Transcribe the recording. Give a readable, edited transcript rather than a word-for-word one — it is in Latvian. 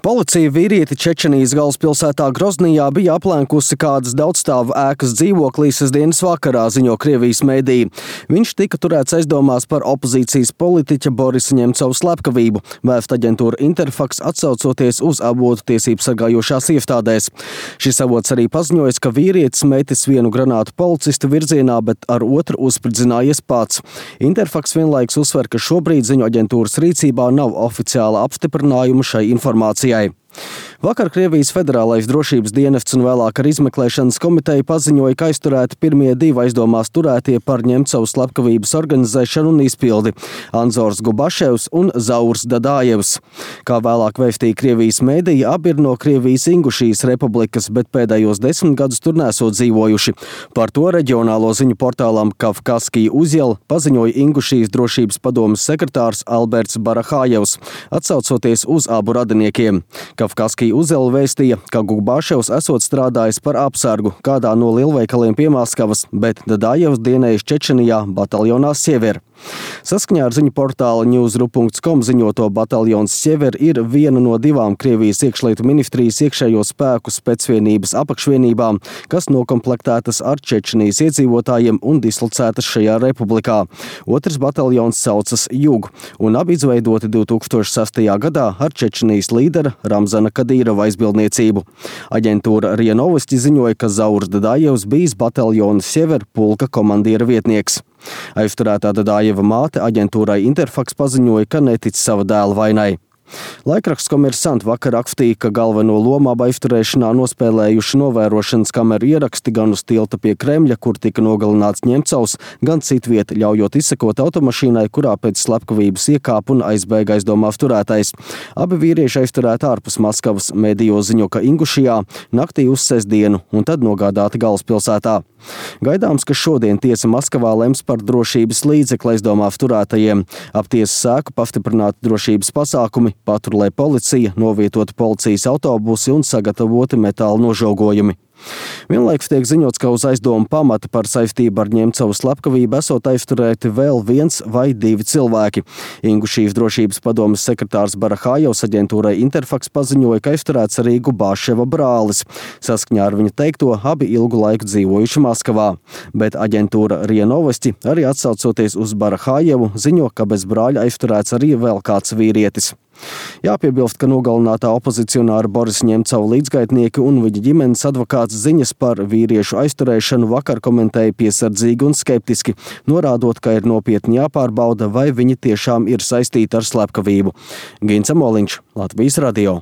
Policija vīrieti Čečenijas galvaspilsētā Groznijā bija aplenkusi kādas daudzstāvu ēkas dzīvoklī sestdienas vakarā, ziņo Krievijas mediji. Viņš tika turēts aizdomās par opozīcijas politiķa Borisa Ņemcova slepkavību, vēst aģentūra Interfax atsaucoties uz avotu tiesību sargājošās iestādēs. Šis avots arī paziņojas, ka vīrietis metis vienu granātu policista virzienā, bet ar otru uzspridzinājies pats. Interfax vienlaikus uzsver, ka šobrīd ziņu aģentūras rīcībā nav oficiāla apstiprinājuma šai informācijai. Vakar Krievijas Federālais drošības dienests un vēlāk ar izmeklēšanas komiteju paziņoja, ka aizturēti pirmie divi aizdomās turētie par Ņemcova slepkavības organizēšanu un izpildi – Anzors Gubaševs un Zaurs Dadājevs. Kā vēlāk vēstīja Krievijas mediji, abi ir no Krievijas Ingušijas republikas, bet pēdējos 10 gadus tur nesot dzīvojuši. Par to reģionālo ziņu portālam Kavkazskija Uzjela paziņoja Ingušijas drošības padomes sekretārs Alberts Barahājevs, atsaucoties uz abu radiniekiem. Kavkazskija Uzjela vēstīja, ka Gubaševs esot strādājis par apsargu kādā no lielveikaliem pie Maskavas, bet Dadājevs dienējis Čečenijā bataljonā Siever. Saskaņā ar ziņu portāla Newsru.com ziņoto bataljons Siever ir viena no divām Krievijas iekšlietu ministrijas iekšējo spēku specvienības apakšvienībām, kas nokomplektētas ar Čečenijas iedzīvotājiem un dislocētas šajā republikā. Otrs bataljons saucas Jug, un abi izveidoti 2006. gadā ar Čečenijas līdera Ramzana Kadīrova aizbildniecību. Aģentūra RIA Novosti ziņoja, ka Zaurs Dadājevs bijis bataljona Siever pulka komandiera vietnieks. Aizturētā Dadājeva māte aģentūrai Interfax paziņoja, ka netic sava dēla vainai. Laikraksts Komersant vakar rakstīja, ka galveno lomu aizturēšanā nospēlējuši novērošanas kameru ieraksti gan uz tilta pie Kremļa, kur tika nogalināts Ņemcovs, gan citviet, ļaujot izsekot automašīnai, kurā pēc slepkavības iekāpa un aizbēga aizdomās turētais. Abi vīrieši aizturēti ārpus Maskavas, mediju ziņo, ka Ingušijā naktī uz sestdienu un tad nogādāti galvaspilsētā. Gaidāms, ka šodien tiesa Maskavā lems par drošības līdzekli aizdomās turētajiem. Ap tiesas sēku pastiprināti drošības pasākumi, patrulē policija, novietoti policijas autobusi un sagatavoti metāla nožogojumi. Vienlaikus tiek ziņots, ka uz aizdomu pamata par saistību ar Ņemcova slepkavību esot aizturēti vēl viens vai divi cilvēki. Ingušijas drošības padomes sekretārs Barahājevs aģentūrai Interfax paziņoja, ka aizturēts arī Gubaševa brālis. Saskaņā ar viņa teikto, abi ilgu laiku dzīvojuši Maskavā. Bet aģentūra RIA Novosti, arī atsaucoties uz Barahājevu, ziņo, ka bez brāļa aizturēts arī vēl kāds vīrietis. Jāpiebilst, ka nogalinātā opozicionāra Borisa Ņemcova līdzgaitnieki un viņa ģimenes advokāts ziņas par vīriešu aizturēšanu vakar komentēja piesardzīgi un skeptiski, norādot, ka ir nopietni jāpārbauda, vai viņi tiešām ir saistīti ar slepkavību. Gins Amoliņš, Latvijas radio.